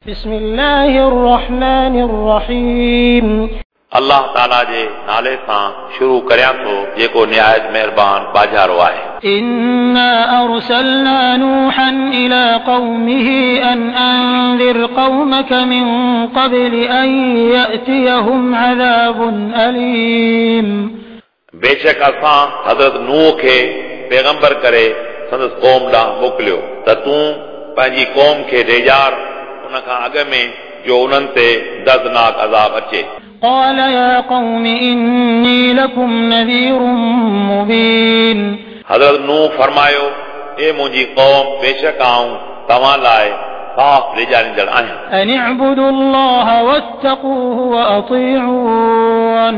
بسم الله الرحمن الرحيم. الله تعالى جي نالي سان شروع ڪريان ٿو جيڪو نهايت مهربان ٻاجهارو آهي. إنا أرسلنا نوحا إلى قومه أن أنذر قومك من قبل أن يأتيهم عذاب أليم. بيشڪ اسان حضرت نوح کي پيغمبر ڪري سندس قوم ڏانهن موڪليو ته تون پنهنجي قوم کي ڊيڄار ان کان اڳ ۾ جو انهن تي دردناڪ عذاب اچي. قال يا قوم إني لكم نذير مبين. حضرت نوح فرمايو اي منهنجي قوم بيشڪ آئون توهان لاءِ صاف ڊيڄاريندڙ آهيان. أن اعبدوا الله واتقوه وأطيعون.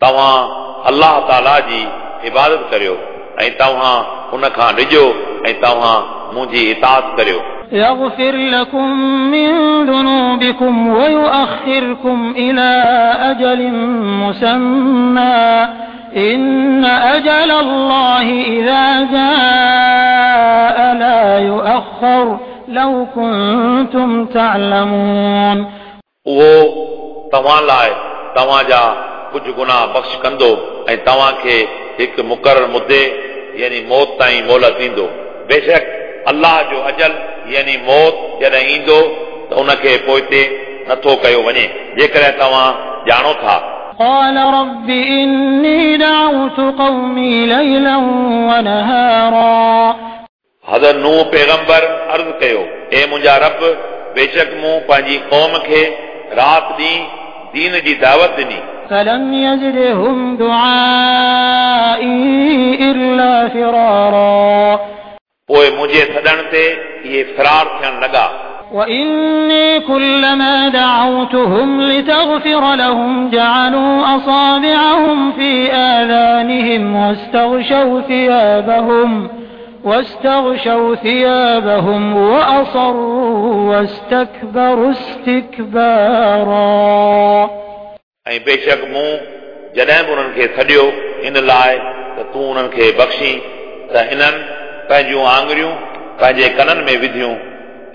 توهان الله تعالى جي عبادت ڪريو ۽ توهان ان کان ڊڄو ۽ توهان منهنجي اطاعت ڪريو. يغفر لكم من ذنوبكم ويؤخركم إلى أجل مسمى إن أجل الله إذا جاء لا يؤخر لو كنتم تعلمون. اهو توهان لاءِ توهان جا ڪجهه گناهه بخش ڪندو ۽ توهان کي هڪ مقرر مدي يعني موت تائين مهلت ڏيندو. بيشڪ الله جو اجل يعني موت جڏهن ايندو ته ان کي پوئتي نٿو ڪيو وڃي جيڪڏهن توهان ڄاڻو ٿا. قال رب إني دعوت قومي ليلا ونهارا. حضرت نوح پيغمبر عرض ڪيو اي منهنجا رب بيشڪ مون پنهنجي قوم کي رات ڏينهن دين جي دعوت ڏني. فلم يزدهم دعائي إلا فرارا. पोइ मुंहिंजे सॾण ते इहे फ़रार थियण लॻा. وإني كلما دعوتهم لتغفر لهم جعلوا أصابعهم في آذانهم واستغشوا ثيابهم وأصروا واستكبروا استكبارا. ऐं बेशक मूं जॾहिं बि उन्हनि खे सॾियो इन लाइ त तूं उन्हनि खे बख़्शी त इन्हनि पंहिंजूं आङुरियूं पंहिंजे कननि में विधियूं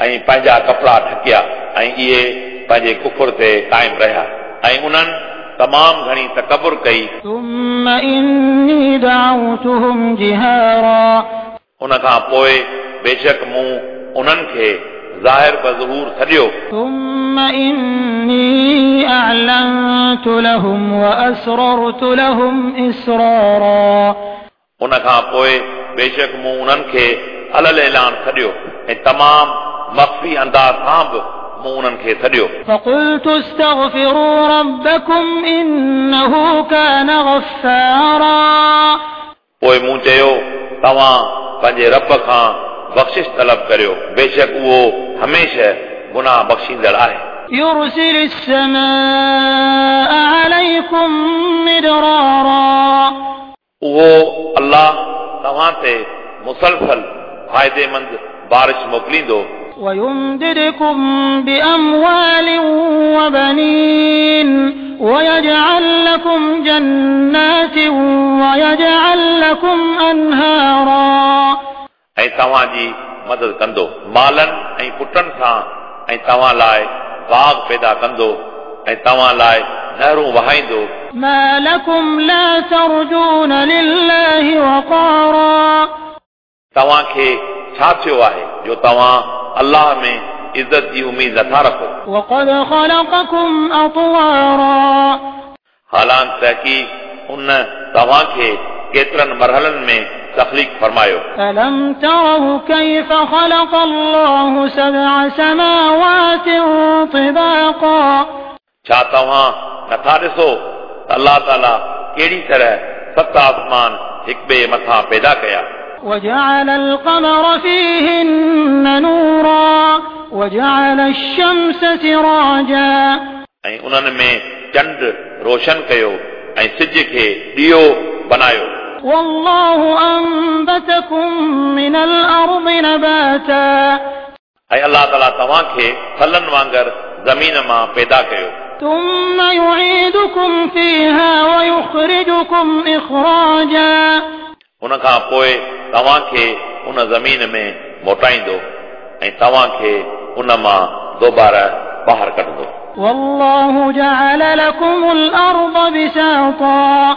ऐं पंहिंजा कपिड़ा ढकिया ऐं इहे पंहिंजे कुफर ते क़ाइम रहिया ऐं उन्हनि तमामु घणी तकबुर कई. ثم إني دعوتهم جهارا. उन खां पोइ बेशक मूं उन्हनि खे ज़ाहिर बज़हूर सॾियो. ثم إني أعلنت لهم وأسررت لهم إسرارا. उन खां पोइ बेशक मूं उन्हनि खे अलल ऐलान सॾियो ऐं तमामु मख़फ़ी अंदाज़ सां बि मूं उन्हनि खे सॾियो. فقلت استغفروا ربكم إنه كان غفارا. पोइ मूं चयो तव्हां पंहिंजे रब खां बख़्शिश तलब करियो बेशक उहो हमेशह गुनाह बख़्शींदड़ आहे. يرسل السماء عليكم مدرارا. उहो अल्लाह तव्हां ते मुसलसल फ़ाइदेमंद बारिश मोकिलींदो. ويمددكم بأموال وبنين ويجعل لكم جنات ويجعل لكم أنهارا. ऐं तव्हांजी मदद कंदो मालनि ऐं पुटनि सां ऐं तव्हां लाइ बाग़ पैदा कंदो ऐं तव्हां लाइ नहरूं वहाईंदो. ما لكم لا ترجون لله وقارا. तव्हांखे छा थियो आहे जो तव्हां अल्लाह में इज़त जी उमेद नथा रखो. وقد خلقكم أطوارا. हालांकि तहक़ीक़ उन तव्हांखे केतिरनि मरहलनि में तख़लीक़ फरमायो. ألم تروا كيف خلق الله سبع سماوات طباقا. छा तव्हां नथा ॾिसो त अल्लाह ताला कहिड़ी तरह सत आसमान हिक ॿिए मथां पैदा कया. وجعل القمر فيهن نورا وجعل الشمس سراجا. ऐं उन्हनि में चंड रोशन कयो ऐं सिज खे ॾियो बनायो. والله أنبتكم من الأرض نباتا. ऐं अल्लाह ताला तव्हांखे फलनि वांगुरु ज़मीन मां पैदा कयो. ثم يعيدكم فيها ويخرجكم إخراجا. उन खां पोइ तव्हांखे उन ज़मीन में मोटाईंदो ऐं तव्हांखे उन मां दोबारा ॿाहिरि कढंदो। والله جعل لكم الأرض بساطا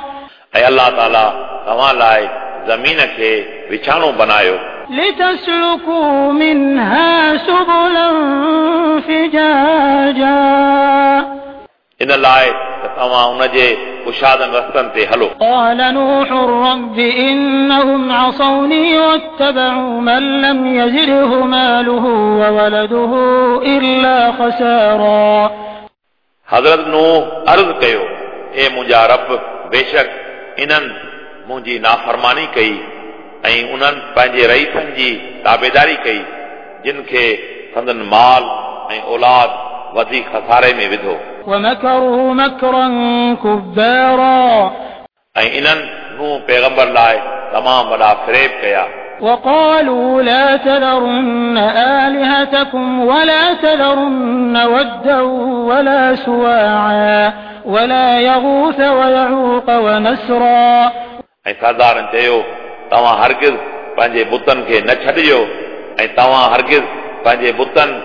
ऐं अलाह ताला तव्हां लाइ ज़मीन खे विछाणो बनायो। لتسلكوا منها سبلا فجاجا इन लाइ त तव्हां उन जे कुशादनि रस्तनि ते हलो। قال نوح رب إنهم عصوني واتبعوا من لم يزده ماله وولده إلا خسارا। हज़रत नूह अर्ज़ कयो, ए मुंहिंजा रब, बेशक इन्हनि मुंहिंजी नाफ़रमानी कई ऐं उन्हनि पंहिंजे रईसनि जी ताबेदारी कई जिन खे संदन माल ऐं औलाद वधीक खसारे में विधो। ومكروا مكرا كبارا ऐं इन्हनि नूह पैगंबर लाइ तमामु वॾा फ़रेब कया। وقالوا لا تذرن آلهتكم ولا تذرن ودا ولا سواعا ولا يغوث ويعوق ونسرا। ऐं सरदारनि चयो, तव्हां हरगिज़ पंहिंजे बुतनि खे न छॾिजो ऐं तव्हां हरगिज़ पंहिंजे बुतनि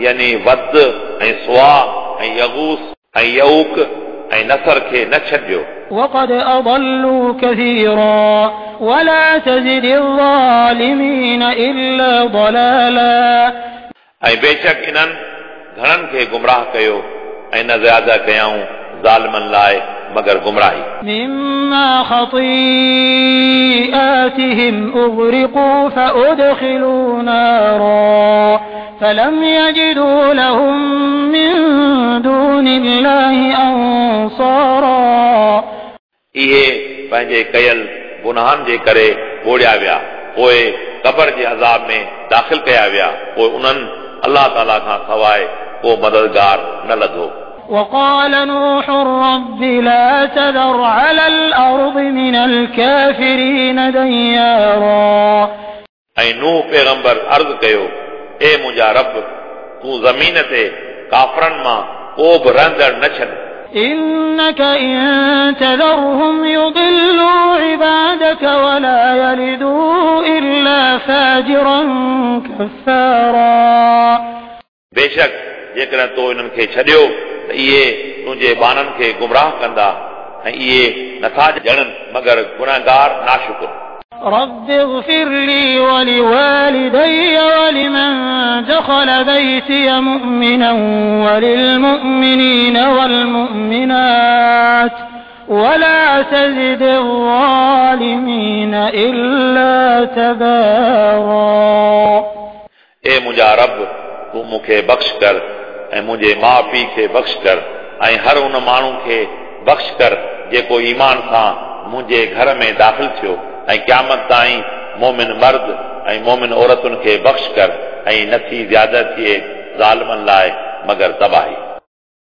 यानी वद ऐं सुआ ऐं यगूस ऐं यऊक ऐं नसर खे न छॾिजो। وقد أضلوا كثيرا ولا تزد الظالمين إلا ضلالا। ऐं बेशक इन्हनि घणनि खे गुमराह कयो ऐं न ज़्यादा कयाऊं ज़ालिमनि लाइ मगर गुमराही। مما خطيئاتهم أغرقوا فأدخلوا نارا فلم يجدوا لهم من دون الله أنصارا। इहे पंहिंजे कयल गुनाहनि जे करे ॿोड़िया विया, पोइ क़बर जे अज़ाब में दाख़िल कया विया, पोइ उन्हनि अलाह ताला खां सवाइ को मददगार न लधो। وقال نوح رب لا تذر على الأرض من الكافرين ديارا। ऐं नूह पैगंबर अर्ज़ कयो, ए मुंहिंजा रब, तूं ज़मीन ते काफ़रनि मां को बि रहंदड़ न छॾ। إنك إن تذرهم يضلوا عبادك ولا يلدوا إلا فاجرا كفارا। बेशक जेकॾहिं तो इन्हनि खे छॾियो त इहे तुंहिंजे ॿारनि खे गुमराह कंदा ऐं इहे नथा ॼणनि मगर गुनहगार नाशुकुर। رب اغفر لي ولوالدي ولمن دخل بيتي مؤمنا وللمؤمنين والمؤمنات ولا تزد الظالمين إلا تبارا। ए मुंहिंजा रब, तूं मूंखे बख़्श कर ऐं मुंहिंजे माउ पीउ खे बख़्श कर ऐं हर उन माण्हू खे बख़्श कर जेको ईमान सां मुंहिंजे घर में दाख़िल थियो ऐं क़यामत ताईं मोमिन मर्द ऐं मोमिन औरतुनि खे बख़्श कर ऐं नथी ज़्यादा थिए ज़ालिमनि लाइ मगर तबाही।